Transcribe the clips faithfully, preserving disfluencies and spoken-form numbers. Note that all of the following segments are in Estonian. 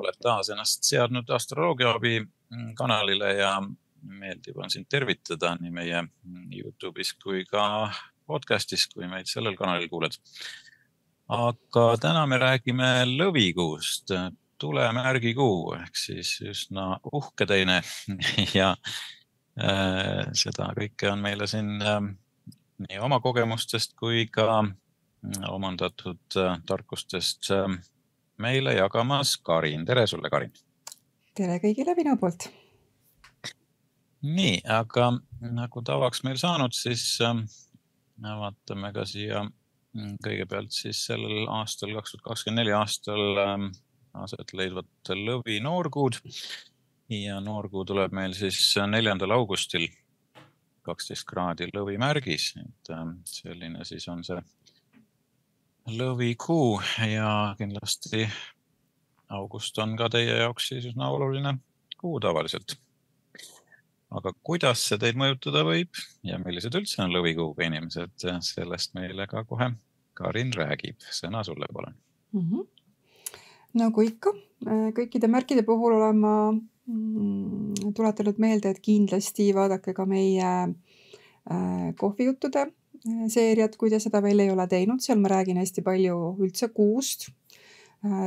oled taas ennast seadnud astroloogiaabi kanalile ja meeldib on sind tervitada nii meie YouTube'is kui ka podcastis, kui meid sellel kanalil kuuled. Aga täna me räägime lõvikuust, tulemärgikuu, ehk siis üsna uhke teine ja äh, seda kõike on meile siin äh, nii oma kogemustest kui ka omandatud äh, tarkustest äh, meile jagamas Karin. Tere sulle, Karin! Tere kõigile minu poolt! Nii, aga nagu tavaks meil saanud, siis äh, vaatame ka siia kõigepealt siis sellel aastal, kaks tuhat kakskümmend neli aastal äh, aset leidvat lõvi noorkuud. Ja noorkuu tuleb meil siis neljandal augustil kaksteist kraadi lõvi märgis. Et, äh, selline siis on see lõvikuu ja kindlasti august on ka teie jaoks siis üsna oluline kuu tavaliselt. Aga kuidas see teid mõjutada võib ja millised üldse on lõvikuuga inimesed, sellest meile ka kohe Karin räägib. Sõna sulle, palun. Mm-hmm. Nagu ikka, kõikide märkide puhul olen ma tuletanud meelde, et kindlasti vaadake ka meie kohvijuttude seeriat, kui te seda veel ei ole teinud. Seal ma räägin hästi palju üldse kuust,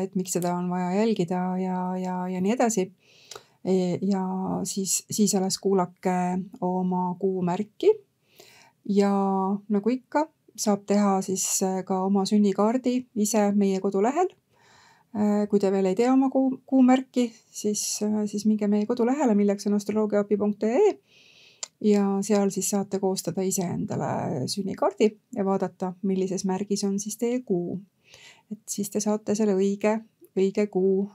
et miks seda on vaja jälgida ja, ja, ja nii edasi. Ja siis, siis alles kuulake oma kuumärki ja nagu ikka saab teha siis ka oma sünnikaardi ise meie kodulehel. Kui te veel ei tea oma kuu, kuumärki, siis, siis minge meie kodulehele, milleks on astroloogiaabi punkt ee ja seal siis saate koostada ise endale sünnikaardi ja vaadata, millises märgis on siis teie kuu. Et siis te saate selle õige, õige kuu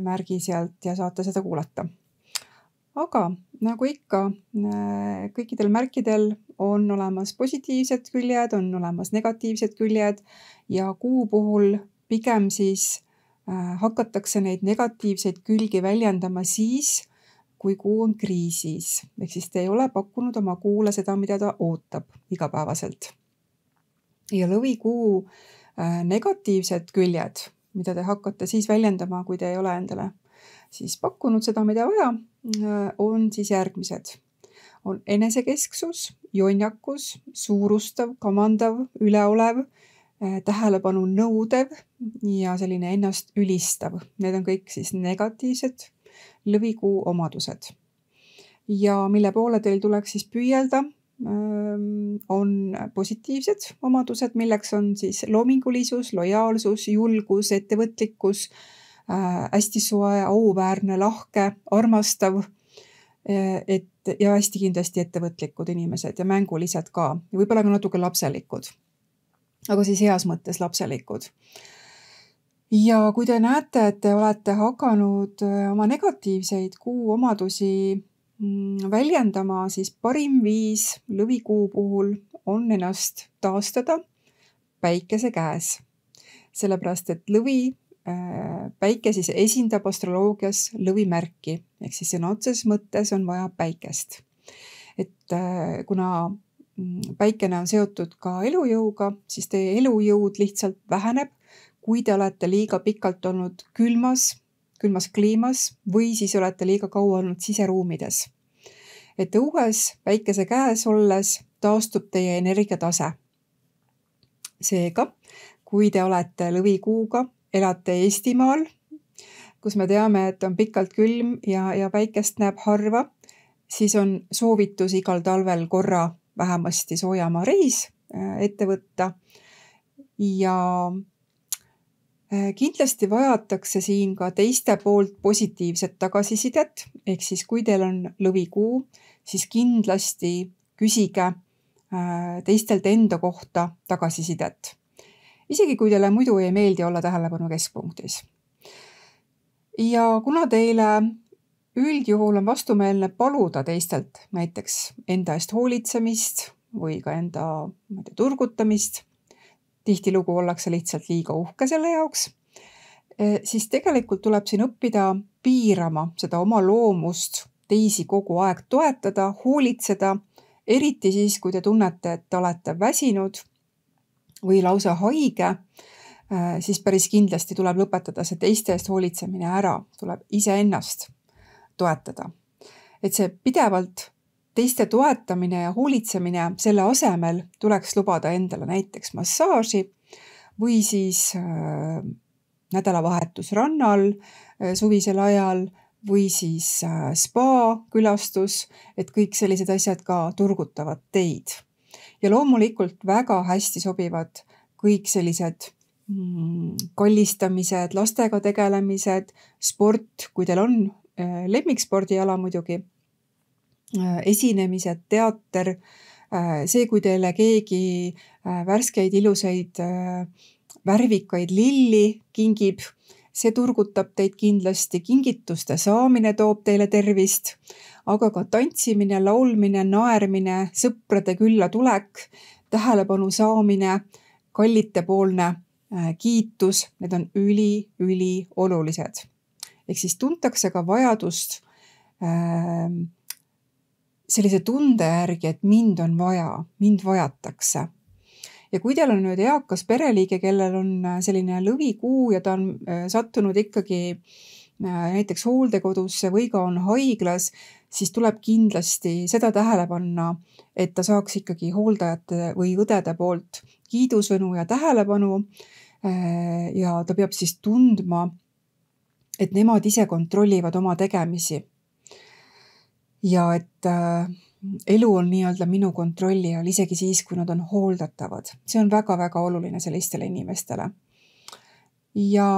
märgi sealt ja saate seda kuulata. Aga nagu ikka, kõikidel märkidel on olemas positiivsed küljed, on olemas negatiivsed küljed ja kuu puhul pigem siis hakatakse neid negatiivseid külgi väljendama siis, kui kuu on kriisis. Ehk siis te ei ole pakkunud oma kuule seda, mida ta ootab igapäevaselt. Ja lõvikuu negatiivsed küljed, mida te hakkate siis väljendama, kui te ei ole endale siis pakkunud seda, mida vaja, on siis järgmised. On enesekesksus, jonjakus, suurustav, kamandav, üleolev, tähelepanu nõudev ja selline ennast ülistav. Need on kõik siis negatiivsed lõvikuu omadused. Ja mille poole teil tuleks siis püüelda, on positiivsed omadused, milleks on siis loomingulisus, lojaalsus, julgus, ettevõtlikkus, äh, hästi soe, auväärne, lahke, armastav et, ja hästi kindlasti ettevõtlikud inimesed ja mängulised ka. Ja võib-olla ka natuke lapselikud, aga siis heas mõttes lapselikud. Ja kui te näete, et te olete hakanud oma negatiivseid kuu omadusi väljendama, siis parim viis lõvikuu puhul on ennast taastada päikese käes. Sellepärast, et lõvi, päike siis esindab astroloogias lõvimärki, ehk siis sõna otseses mõttes on vaja päikest. Et kuna päikene on seotud ka elujõuga, siis teie elujõud lihtsalt väheneb, kui te olete liiga pikalt olnud külmas, külmas kliimas või siis olete liiga kaua olnud siseruumides. Et õues päikese käes olles taastub teie energiatase. Seega, kui te olete lõvikuuga, elate Eestimaal, kus me teame, et on pikalt külm ja, ja päikest näeb harva, siis on soovitus igal talvel korra vähemasti soojamaa reis ette võtta ja kindlasti vajatakse siin ka teiste poolt positiivset tagasisidet, ehk siis kui teil on lõvikuu, siis kindlasti küsige teistelt enda kohta tagasisidet. Isegi kui teile muidu ei meeldi olla tähelepanu keskpunktis. Ja kuna teile üldjuhul on vastumeelne paluda teistelt näiteks enda eest hoolitsemist või ka enda turgutamist, tihtilugu ollakse lihtsalt liiga uhke selle jaoks, siis tegelikult tuleb siin õppida piirama seda oma loomust, teisi kogu aeg toetada, hoolitseda, eriti siis, kui te tunnete, et te olete väsinud või lausa haige siis päris kindlasti tuleb lõpetada see teiste eest hoolitsemine ära, tuleb iseennast toetada. Et see pidevalt teiste toetamine ja hoolitsemine, selle asemel tuleks lubada endale näiteks massaaži või siis äh, nädalavahetus rannal äh, suvisel ajal või siis äh, spa külastus, et kõik sellised asjad ka turgutavad teid. Ja loomulikult väga hästi sobivad kõik sellised mm, kallistamised, lastega tegelemised, sport, kui teil on äh, lemmikspordiala muidugi, äh, esinemised, teater, äh, see, kui teile keegi äh, värskeid, ilusaid, äh, värvikaid lilli kingib, see turgutab teid kindlasti, kingituste saamine toob teile tervist, aga ka tantsimine, laulmine, naermine, sõprade külla tulek, tähelepanu saamine, kallitepoolne äh, kiitus, need on üli, üli olulised. Ehk siis tuntakse ka vajadust äh, sellise tunde järgi, et mind on vaja, mind vajatakse. Ja kui teil on nüüd eakas pereliige, kellel on selline lõvikuu ja ta on sattunud ikkagi näiteks hooldekodusse või ka on haiglas, siis tuleb kindlasti seda tähele panna, et ta saaks ikkagi hooldajate või õdede poolt kiidusõnu ja tähelepanu ja ta peab siis tundma, et nemad ise kontrollivad oma tegemisi. Ja et elu on nii-öelda minu kontrolli all, isegi siis, kui nad on hooldatavad. See on väga-väga oluline sellistele inimestele. Ja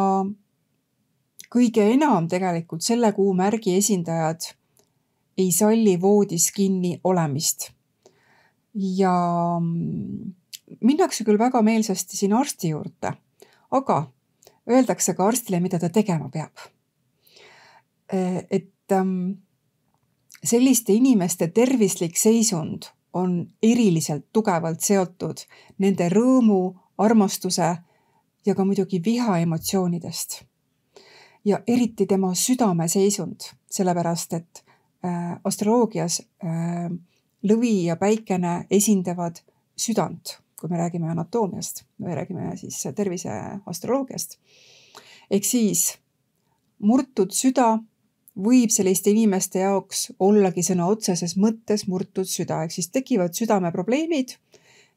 kõige enam tegelikult selle kuu märgi esindajad ei salli voodis kinni olemist. Ja minnakse küll väga meelsasti siin arsti juurde, aga öeldakse ka arstile, mida ta tegema peab. Et selliste inimeste tervislik seisund on eriliselt tugevalt seotud nende rõõmu, armastuse ja ka muidugi viha emotsioonidest. Ja eriti tema südame seisund, sellepärast et äh, astroloogias äh, lõvi ja päikene esindavad südant, kui me räägime anatoomiast, me räägime siis tervise astroloogiast. Ehk siis murtud süda võib selliste inimeste jaoks ollagi sõna otseses mõttes murtud süda, ehk siis tekivad südameprobleemid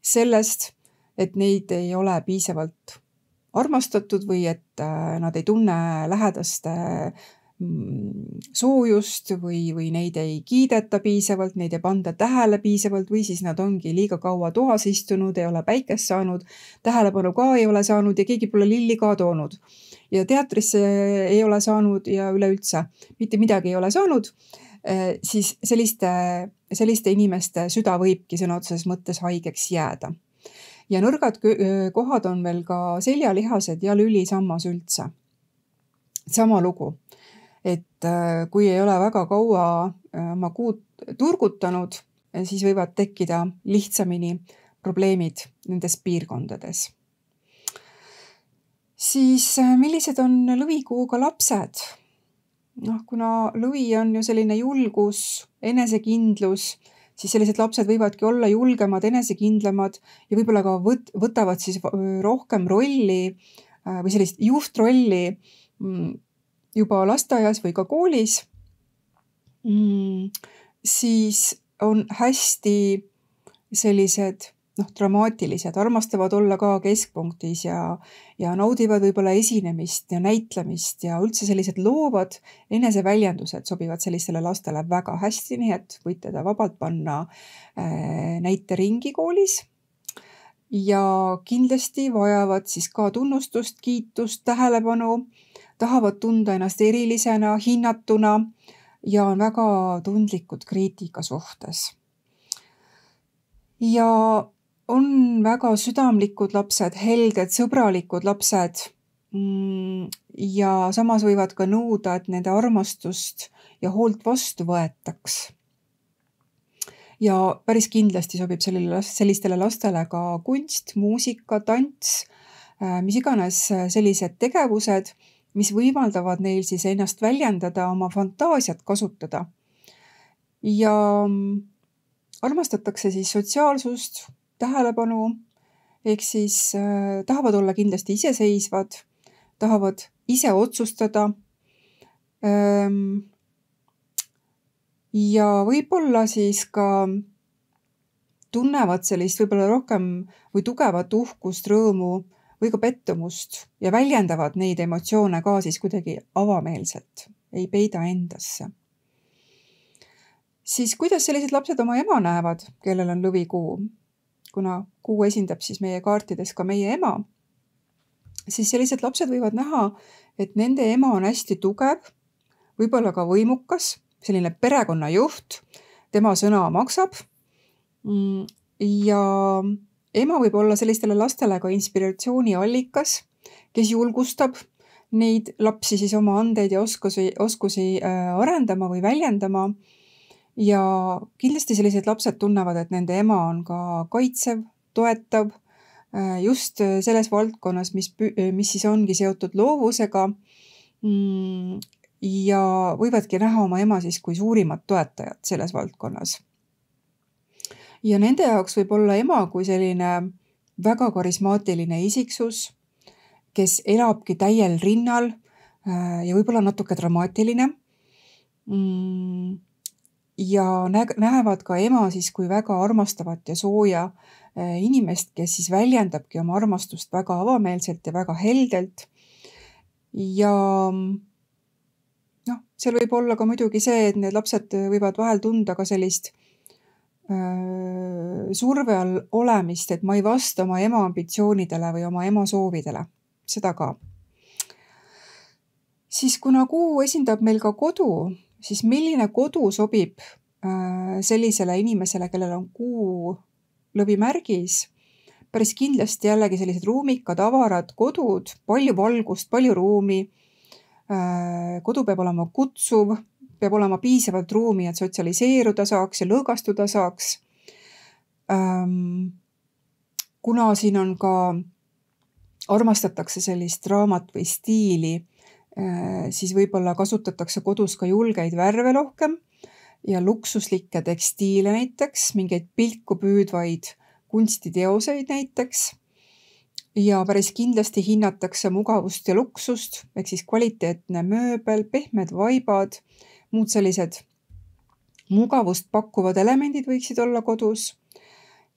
sellest, et neid ei ole piisavalt armastatud või et nad ei tunne lähedaste soojust või, või neid ei kiideta piisavalt, neid ei panda tähele piisavalt või siis nad ongi liiga kaua toas istunud, ei ole päikest saanud, tähelepanu ka ei ole saanud ja keegi pole lilli ka toonud. Ja teatrisse ei ole saanud ja üleüldse mitte midagi ei ole saanud, siis selliste, selliste inimeste süda võibki sõna otseses mõttes haigeks jääda. Ja nõrgad kohad on veel ka seljalihased ja lülisammas üldse. Sama lugu, et kui ei ole väga kaua oma kuud turgutanud, siis võivad tekkida lihtsamini probleemid nendes piirkondades. Siis millised on lõvikuuga lapsed? Noh, kuna lõvi on ju selline julgus, enesekindlus, siis sellised lapsed võivadki olla julgemad, enesekindlamad ja võib-olla ka võt- võtavad siis rohkem rolli või sellist juhtrolli juba lasteaias või ka koolis. Siis on hästi sellised noh, dramaatilised, armastavad olla ka keskpunktis ja, ja naudivad võib-olla esinemist ja näitlemist ja üldse sellised loovad eneseväljendused sobivad sellistele lastele väga hästi, nii et võite ta vabalt panna äh, näiteringi koolis ja kindlasti vajavad siis ka tunnustust, kiitust, tähelepanu, tahavad tunda ennast erilisena, hinnatuna ja on väga tundlikud kriitika suhtes. Ja on väga südamlikud lapsed, helded, sõbralikud lapsed ja samas võivad ka nõuda, et nende armastust ja hoolt vastu võetaks. Ja päris kindlasti sobib sellele, sellistele lastele ka kunst, muusika, tants, mis iganes sellised tegevused, mis võimaldavad neil siis ennast väljendada, oma fantaasiat kasutada. Ja armastatakse siis sotsiaalsust, tähelepanu ehk siis äh, tahavad olla kindlasti iseseisvad, tahavad ise otsustada ähm, ja võib-olla siis ka tunnevad sellist võib-olla rohkem või tugevat uhkust, rõõmu või ka pettumust ja väljendavad neid emotsioone ka siis kuidagi avameelselt, ei peida endasse. Siis kuidas sellised lapsed oma ema näevad, kellel on lõvikuu, kuna kuu esindab siis meie kaartides ka meie ema, siis sellised lapsed võivad näha, et nende ema on hästi tugev, võib-olla ka võimukas, selline perekonnajuht, tema sõna maksab ja ema võib olla sellistele lastele ka inspiratsiooni allikas, kes julgustab neid lapsi siis oma andeid ja oskusi, oskusi arendama või väljendama. Ja kindlasti sellised lapsed tunnevad, et nende ema on ka kaitsev, toetav just selles valdkonnas, mis, mis siis ongi seotud loovusega ja võivadki näha oma ema siis kui suurimat toetajat selles valdkonnas. Ja nende jaoks võib olla ema kui selline väga karismaatiline isiksus, kes elabki täiel rinnal ja võib-olla natuke dramaatiline. Ja näevad ka ema siis kui väga armastavat ja sooja inimest, kes siis väljendabki oma armastust väga avameelselt ja väga heldelt. Ja noh, seal võib olla ka muidugi see, et need lapsed võivad vahel tunda ka sellist surve all olemist, et ma ei vasta oma ema ambitsioonidele või oma ema soovidele. Seda ka. Siis kuna kuu esindab meil ka kodu, siis milline kodu sobib sellisele inimesele, kellel on kuu lõvimärgis? Päris kindlasti jällegi sellised ruumikad, avarad kodud, palju valgust, palju ruumi. Kodu peab olema kutsuv, peab olema piisavalt ruumi, et sotsialiseeruda saaks ja lõõgastuda saaks. Kuna siin on ka, armastatakse sellist raamat või stiili, siis võib-olla kasutatakse kodus ka julgeid värve rohkem ja luksuslikke tekstiile näiteks, mingeid pilku püüdvaid kunstiteoseid näiteks. Ja päris kindlasti hinnatakse mugavust ja luksust, ehk siis kvaliteetne mööbel, pehmed vaibad, muud sellised mugavust pakkuvad elemendid võiksid olla kodus.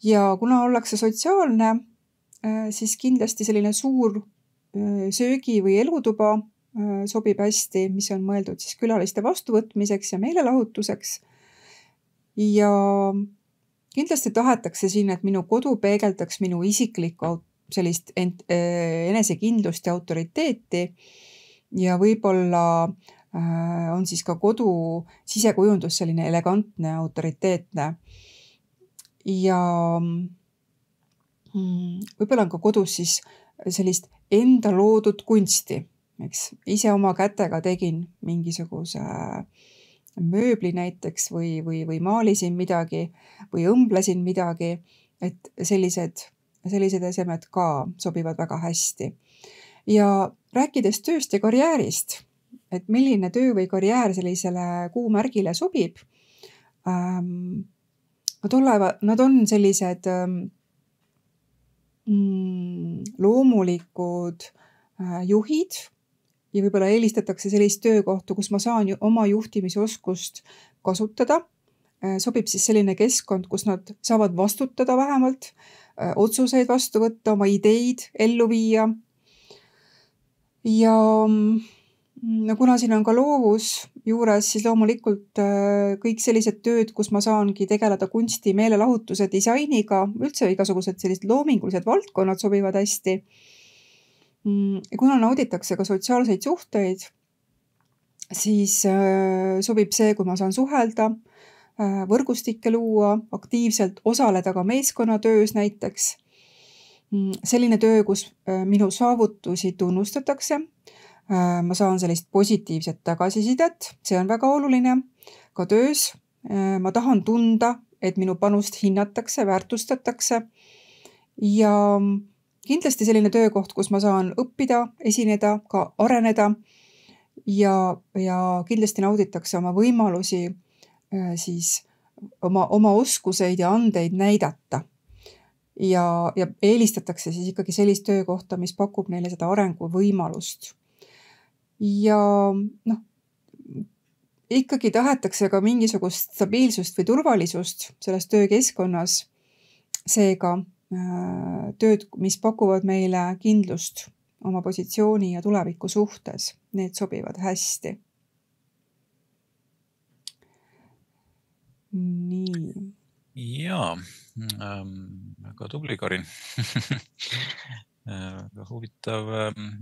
Ja kuna ollakse sotsiaalne, siis kindlasti selline suur söögi- või elutuba sobib hästi, mis on mõeldud siis külaliste vastuvõtmiseks ja meelelahutuseks. Ja kindlasti tahetakse siin, et minu kodu peegeldaks minu isiklikku sellist enesekindlust ja autoriteeti ja võib-olla on siis ka kodu sisekujundus selline elegantne, autoriteetne ja võib-olla on ka kodus siis sellist enda loodud kunsti, eks ise oma kätega tegin mingisuguse mööbli näiteks või, või, või maalisin midagi või õmblesin midagi, et sellised, sellised esemed ka sobivad väga hästi. Ja rääkides tööst ja karjäärist, et milline töö või karjäär sellisele kuumärgile sobib. Ähm, nad, olevad, nad on sellised ähm, loomulikud äh, juhid ja võib-olla eelistatakse sellist töökohta, kus ma saan ju oma juhtimisoskust kasutada. Äh, sobib siis selline keskkond, kus nad saavad vastutada vähemalt, äh, otsuseid vastu võtta, oma ideid ellu viia. Ja no kuna siin on ka loovus juures, siis loomulikult kõik sellised tööd, kus ma saangi tegeleda kunsti, meelelahutuse, disainiga, üldse igasugused sellised loomingulised valdkonnad sobivad hästi. Kuna nauditakse ka sotsiaalseid suhteid, siis sobib see, kui ma saan suhelda, võrgustikke luua, aktiivselt osaleda ka meeskonnatöös näiteks. Selline töö, kus minu saavutusi tunnustatakse. Ma saan sellist positiivset tagasisidet, see on väga oluline ka töös. Ma tahan tunda, et minu panust hinnatakse, väärtustatakse ja kindlasti selline töökoht, kus ma saan õppida, esineda, ka areneda ja, ja kindlasti nauditakse oma võimalusi siis oma, oma oskuseid ja andeid näidata. ja, ja eelistatakse siis ikkagi sellist töökohta, mis pakub neile seda arenguvõimalust. Ja noh, ikkagi tahetakse ka mingisugust stabiilsust või turvalisust selles töökeskkonnas. Seega tööd, mis pakuvad meile kindlust oma positsiooni ja tuleviku suhtes, need sobivad hästi. Nii. Jaa, ähm, väga tubli, Karin. Väga huvitav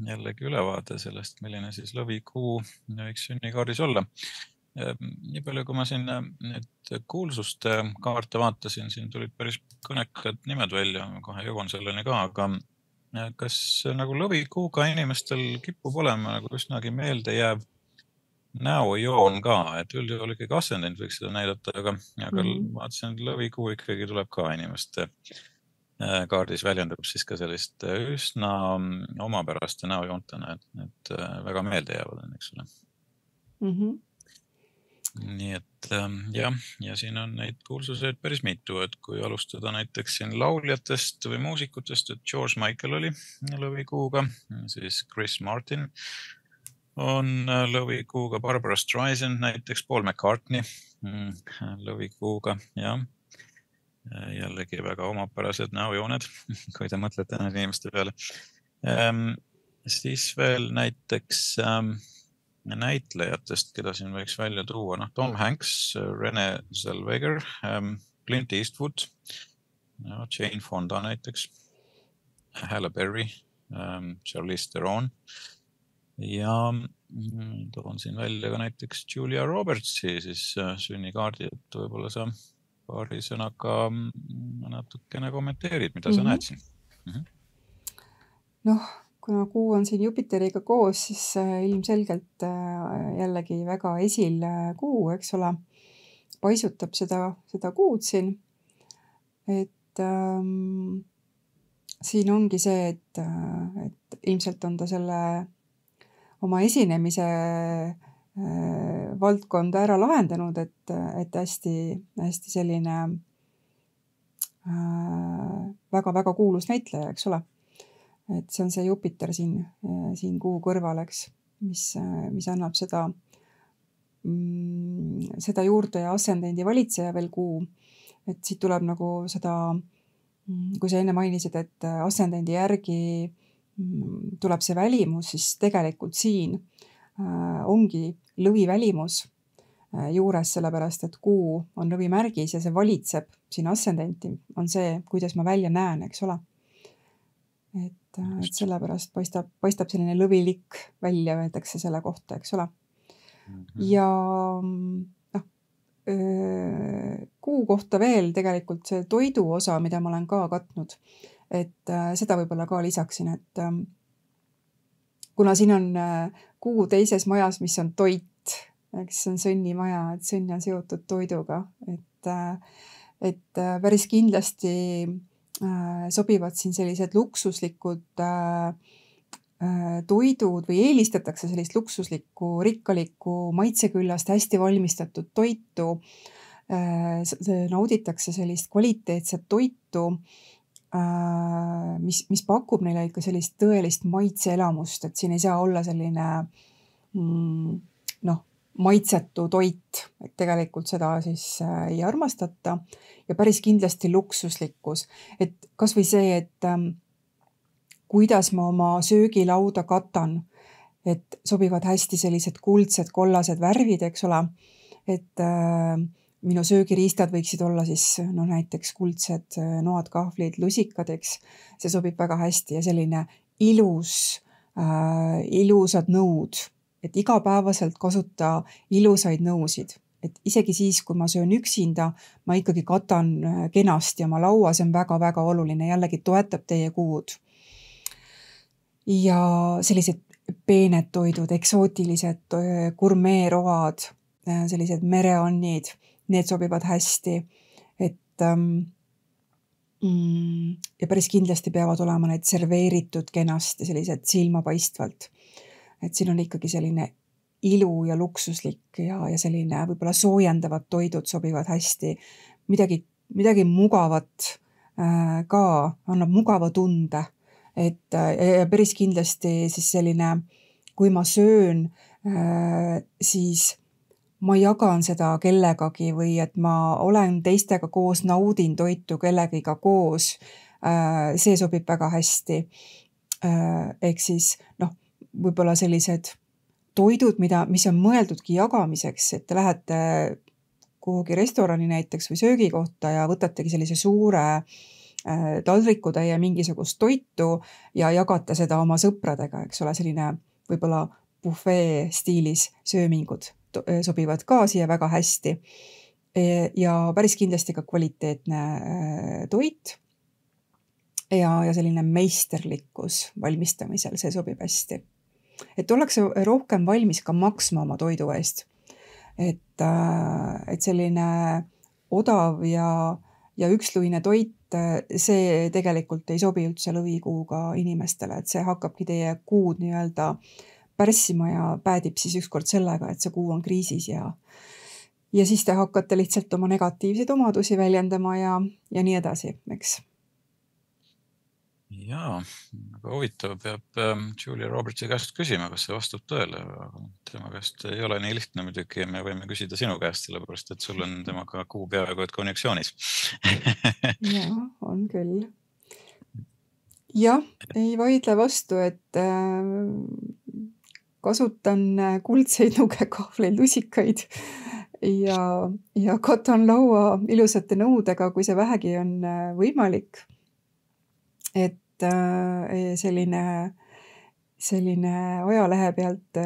jällegi ülevaade sellest, milline siis lõvikuu võiks sünnikaardis olla. Nii palju, kui ma siin need kuulsuste kaarte vaatasin, siin tulid päris kõnekad nimed välja, kohe jõuan selleni ka, aga kas nagu lõvikuuga inimestel kipub olema nagu üsnagi meelde jääb näojoon ka, et üldjuhul ikkagi ascendent võiks seda näidata, aga, aga mm-hmm. vaatasin, et lõvikuu ikkagi tuleb ka inimeste kaardis väljendab siis ka sellist üsna omapäraste näojoontena, et need väga meelde jäävad, eks ole. Mm-hmm. Nii et jah, ja siin on neid kuulsuseid päris mitu, et kui alustada näiteks siin lauljatest või muusikutest, et George Michael oli lõvikuuga, siis Chris Martin on lõvikuuga, Barbara Streisand näiteks, Paul McCartney lõvikuuga, jah. Jällegi väga omapärased näojooned, kui te mõtlete need inimeste peale. Siis veel näiteks näitlejatest, keda siin võiks välja tuua, noh, Tom Hanks, Renee Zellweger, Clint Eastwood, Jane Fonda näiteks, Halle Berry, Charlize Theron ja toon siin välja ka näiteks Julia Robertsi siis sünnikaardi, et võib-olla sa paari sõnaga natukene kommenteerid, mida sa mm-hmm. näed siin. Mm-hmm. Noh, kuna kuu on siin Jupiteriga koos, siis ilmselgelt jällegi väga esil kuu, eks ole, paisutab seda, seda kuud siin. Et ähm, siin ongi see, et, et ilmselt on ta selle oma esinemise äh, valdkonda ära lahendanud, et, et hästi, hästi selline väga-väga äh, kuulus näitleja, eks ole. Et see on see Jupiter siin, siin kuu kõrval, eks, mis, mis annab seda, mm, seda juurde ja ascendendi valitseja veel kuu. Et siit tuleb nagu seda, kui sa enne mainisid, et ascendendi järgi tuleb see välimus, siis tegelikult siin äh, ongi lõvi välimus äh, juures, sellepärast et kuu on lõvi märgis ja see valitseb siin ascendenti, on see, kuidas ma välja näen, eks ole. Et, äh, et sellepärast paistab, paistab selline lõvilik välja, öeldakse selle kohta, eks ole. Mm-hmm. Ja noh, öö, kuu kohta veel tegelikult see toidu osa, mida ma olen ka katnud, et äh, seda võib-olla ka lisaksin, et äh, kuna siin on äh, kuu teises majas, mis on toit, eks see on sõnnimaja, et sõnn on seotud toiduga, et, äh, et äh, päris kindlasti äh, sobivad siin sellised luksuslikud äh, äh, toidud või eelistatakse sellist luksuslikku, rikkalikku, maitseküllast, hästi valmistatud toitu, äh, nauditakse sellist kvaliteetset toitu, Mis, mis pakub neile ikka sellist tõelist maitseelamust, et siin ei saa olla selline mm, noh, maitsetu toit, et tegelikult seda siis ei armastata ja päris kindlasti luksuslikkus, et kas või see, et ähm, kuidas ma oma söögilauda katan, et sobivad hästi sellised kuldsed, kollased värvid, eks ole, et äh, minu söögiriistad võiksid olla siis no, näiteks kuldsed noad, kahvlid, lusikad, eks. See sobib väga hästi ja selline ilus, äh, ilusad nõud, et igapäevaselt kasuta ilusaid nõusid. Et isegi siis, kui ma söön üksinda, ma ikkagi katan kenasti oma laua, see on väga-väga oluline, jällegi toetab teie kuud. Ja sellised peened toidud, eksootilised gurmeeroad, sellised mereannid, need sobivad hästi, et ähm, mm, ja päris kindlasti peavad olema need serveeritud kenasti, sellised silmapaistvalt. Et siin on ikkagi selline ilu ja luksuslik ja, ja selline võib-olla soojendavad toidud sobivad hästi. Midagi, midagi mugavat, ka annab mugava tunde, et ja päris kindlasti siis selline, kui ma söön, siis ma jagan seda kellegagi või et ma olen teistega koos, naudin toitu kellegiga koos, see sobib väga hästi. Ehk siis noh, võib-olla sellised toidud, mida, mis on mõeldudki jagamiseks, et te lähete kuhugi restorani näiteks või söögikohta ja võtategi sellise suure taldriku täie mingisugust toitu ja jagate seda oma sõpradega, eks ole, selline võib-olla buffet stiilis söömingud sobivad ka siia väga hästi ja päris kindlasti ka kvaliteetne toit ja, ja selline meisterlikkus valmistamisel, see sobib hästi. Et ollakse rohkem valmis ka maksma oma toidu eest. Et, et selline odav ja, ja üksluine toit, see tegelikult ei sobi üldse lõvikuuga inimestele, et see hakkabki teie kuud nii-öelda pärssima ja päädib siis ükskord sellega, et see kuu on kriisis ja, ja siis te hakkate lihtsalt oma negatiivseid omadusi väljendama ja, ja nii edasi, eks. Jaa, aga huvitav peab Julia Robertsi käest küsima, kas see vastab tõele. Tema käest ei ole nii lihtne muidugi, me võime küsida sinu käest, sellepärast et sul on temaga kuu peaaegu et konjuktsioonis. Jaa, on küll. Jah, ei vaidle vastu, et kasutan kuldseid nugekahvleid, lusikaid ja, ja katan laua ilusate nõudega, kui see vähegi on võimalik. Et selline, selline ajalehe pealt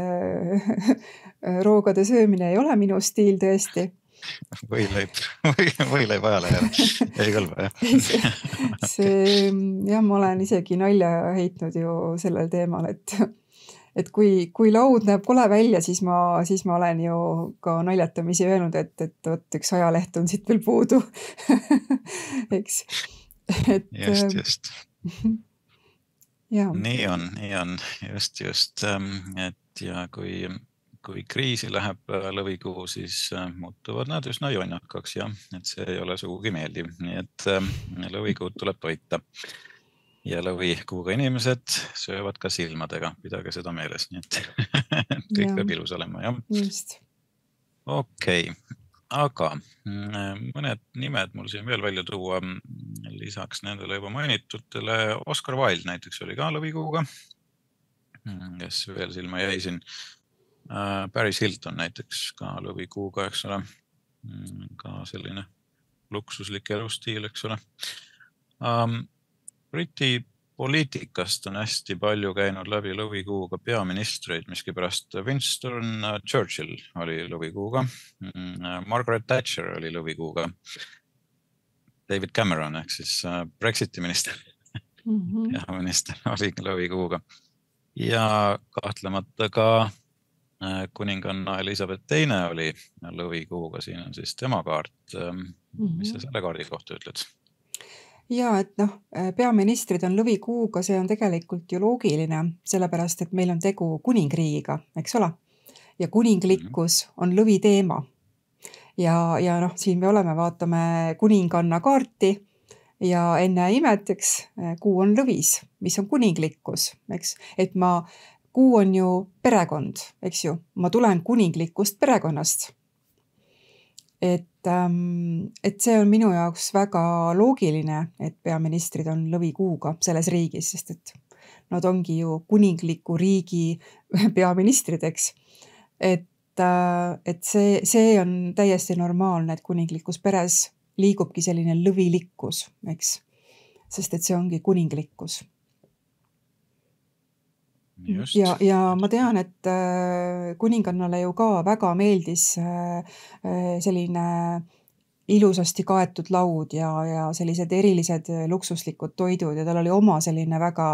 roogade söömine ei ole minu stiil tõesti. Võileib, võileib ajalehele, ei kõlba, jah. see, see, jah, ma olen isegi nalja heitnud ju sellel teemal, et et kui, kui laud näeb kole välja, siis ma, siis ma olen ju ka naljatamisi öelnud, et, et võt üks ajaleht on siit veel puudu. Eks. Et, just, just. Ja. Nii on, nii on, just, just. Et ja kui, kui kriisi läheb lõvikuu, siis muutuvad nad üsna jonnakaks, ja et see ei ole sugugi meeldiv. Nii et lõvikuud tuleb toita. Ja lõvikuuga inimesed söövad ka silmadega, pidage seda meeles, nii et kõik ja. Peab ilus olema, jah. Just. Okei, okay. Aga mõned nimed mul siin veel välja tuua, lisaks nendele juba mainitutele. Oscar Wilde näiteks oli ka lõvikuuga, kes veel silma jäi siin. Paris Hilton näiteks ka lõvikuuga, eks ole, ka selline luksuslik elustiil, eks ole. Briti poliitikast on hästi palju käinud läbi lõvikuuga peaministreid, miski pärast Winston Churchill oli lõvikuuga, Margaret Thatcher oli lõvikuuga, David Cameron ehk siis Brexiti minister, mm-hmm. ja minister oli lõvikuuga ja kahtlemata ka kuninganna Elizabeth teine oli lõvikuuga, siin on siis tema kaart, mm-hmm. mis sa selle kaardi kohta ütled? Ja, et noh, peaministrid on lõvikuuga, see on tegelikult ju loogiline, sellepärast, et meil on tegu kuningriigiga, eks ole? Ja kuninglikkus on lõvi teema. Ja, ja noh, siin me oleme, vaatame kuninganna kaarti ja enne imet, eks, kuu on lõvis, mis on kuninglikkus, eks? Et ma, kuu on ju perekond, eks ju? Ma tulen kuninglikust perekonnast. Et, et see on minu jaoks väga loogiline, et peaministrid on lõvikuuga selles riigis, sest et nad ongi ju kuningliku riigi peaministrid, eks. Et, et see, see on täiesti normaalne, et kuninglikus peres liigubki selline lõvilikkus, eks. Sest et see ongi kuninglikkus. Just. Ja, ja ma tean, et kuningannale ju ka väga meeldis selline ilusasti kaetud laud ja, ja sellised erilised luksuslikud toidud ja tal oli oma selline väga,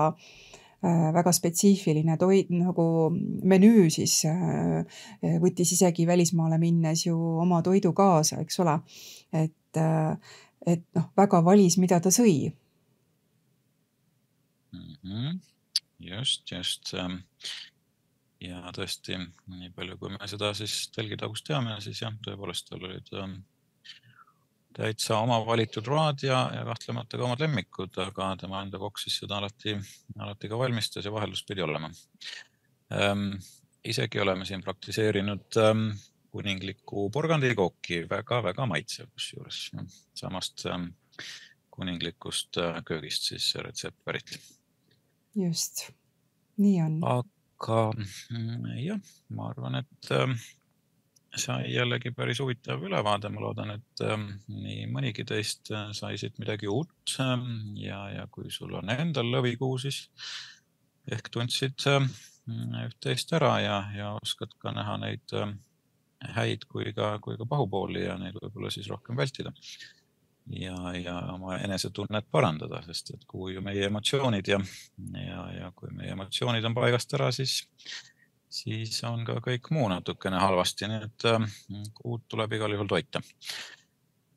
väga spetsiifiline toid, nagu menüü siis võttis isegi välismaale minnes ju oma toidu kaasa, eks ole. Et, et noh, väga valis, mida ta sõi. Mhm. Just, just. Ja tõesti, nii palju kui me seda siis telgitagust teame, siis jah, tõepoolest tal olid täitsa oma valitud road ja, ja kahtlemata ka omad lemmikud, aga tema enda kokk siis seda alati, alati ka valmistas ja vaheldus pidi olema. Ähm, isegi oleme siin praktiseerinud ähm, kuninglikku porgandikooki, väga-väga maitsev kusjuures. Samast ähm, kuninglikust äh, köögist siis retsept pärit. Just, nii on. Aga jah, ma arvan, et ähm, sai jällegi päris huvitav ülevaade. Ma loodan, et ähm, nii mõnigi teist sai siit midagi uut ähm, ja, ja kui sul on endal lõvikuu, siis ehk tundsid ähm, üht-teist ära ja, ja oskad ka näha neid ähm, häid kui ka, kui ka pahupooli ja neid võib-olla siis rohkem vältida. Ja, ja oma enesetunnet parandada, sest et kui ju meie emotsioonid ja, ja, ja kui meie emotsioonid on paigast ära, siis siis on ka kõik muu natukene halvasti, nii et kuud tuleb igal juhul toita.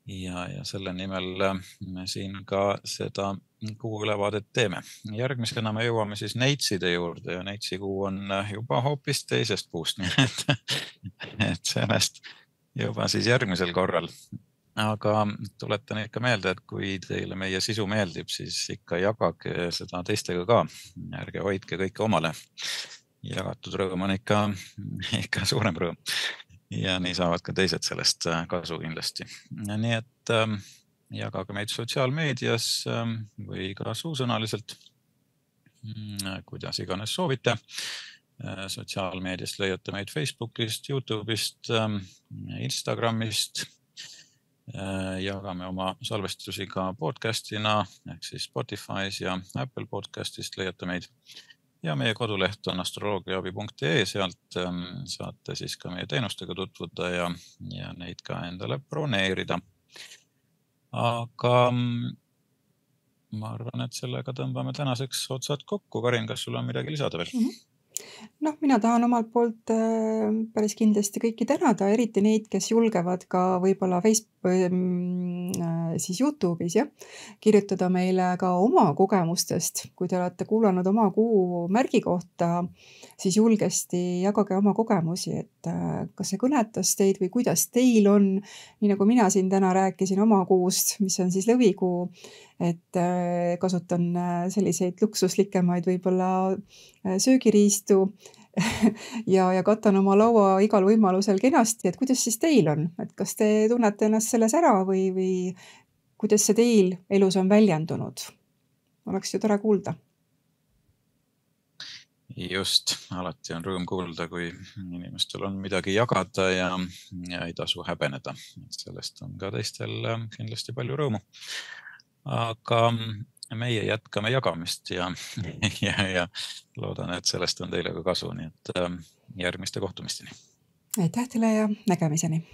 Ja, ja selle nimel me siin ka seda kuu ülevaadet teeme. Järgmisena me jõuame siis neitside juurde ja neitsikuu on juba hoopis teisest puust, nii et, et sellest juba siis järgmisel korral. Aga tuletan ikka meelde, et kui teile meie sisu meeldib, siis ikka jagage seda teistega ka. Ärge hoidke kõike omale. Jagatud rõõm on ikka, ikka suurem rõõm ja nii saavad ka teised sellest kasu kindlasti. Nii et ähm, jagage meid sotsiaalmeedias ähm, või ka suusõnaliselt, kuidas iganes soovite. Sotsiaalmeediast leiate meid Facebookist, YouTube'ist, ähm, Instagramist. Jagame oma salvestusi ka podcastina ehk siis Spotify's ja Apple podcastist leiate meid. Ja meie koduleht on astroloogiaabi punkt ee, sealt saate siis ka meie teenustega tutvuda ja, ja neid ka endale broneerida. Aga ma arvan, et sellega tõmbame tänaseks otsad kokku. Karin, kas sul on midagi lisada veel? Mm-hmm. Noh, mina tahan omalt poolt päris kindlasti kõiki tänada, eriti neid, kes julgevad ka võib-olla Facebook, siis YouTube'is ja kirjutada meile ka oma kogemustest. Kui te olete kuulanud oma kuu märgi kohta, siis julgesti jagage oma kogemusi, et kas see kõnetas teid või kuidas teil on. Nii nagu mina siin täna rääkisin oma kuust, mis on siis lõvikuu, et kasutan selliseid luksuslikemaid võib-olla söögiriistu ja, ja katan oma laua igal võimalusel kenasti, et kuidas siis teil on, et kas te tunnete ennast selles ära või, või kuidas see teil elus on väljendunud? Oleks ju tore kuulda. Just, alati on rõõm kuulda, kui inimestel on midagi jagada ja, ja ei tasu häbeneda. Sellest on ka teistel kindlasti palju rõõmu. Aga meie jätkame jagamist ja, ja, ja loodan, et sellest on teile ka kasu, nii et järgmiste kohtumisteni. Aitäh teile ja nägemiseni!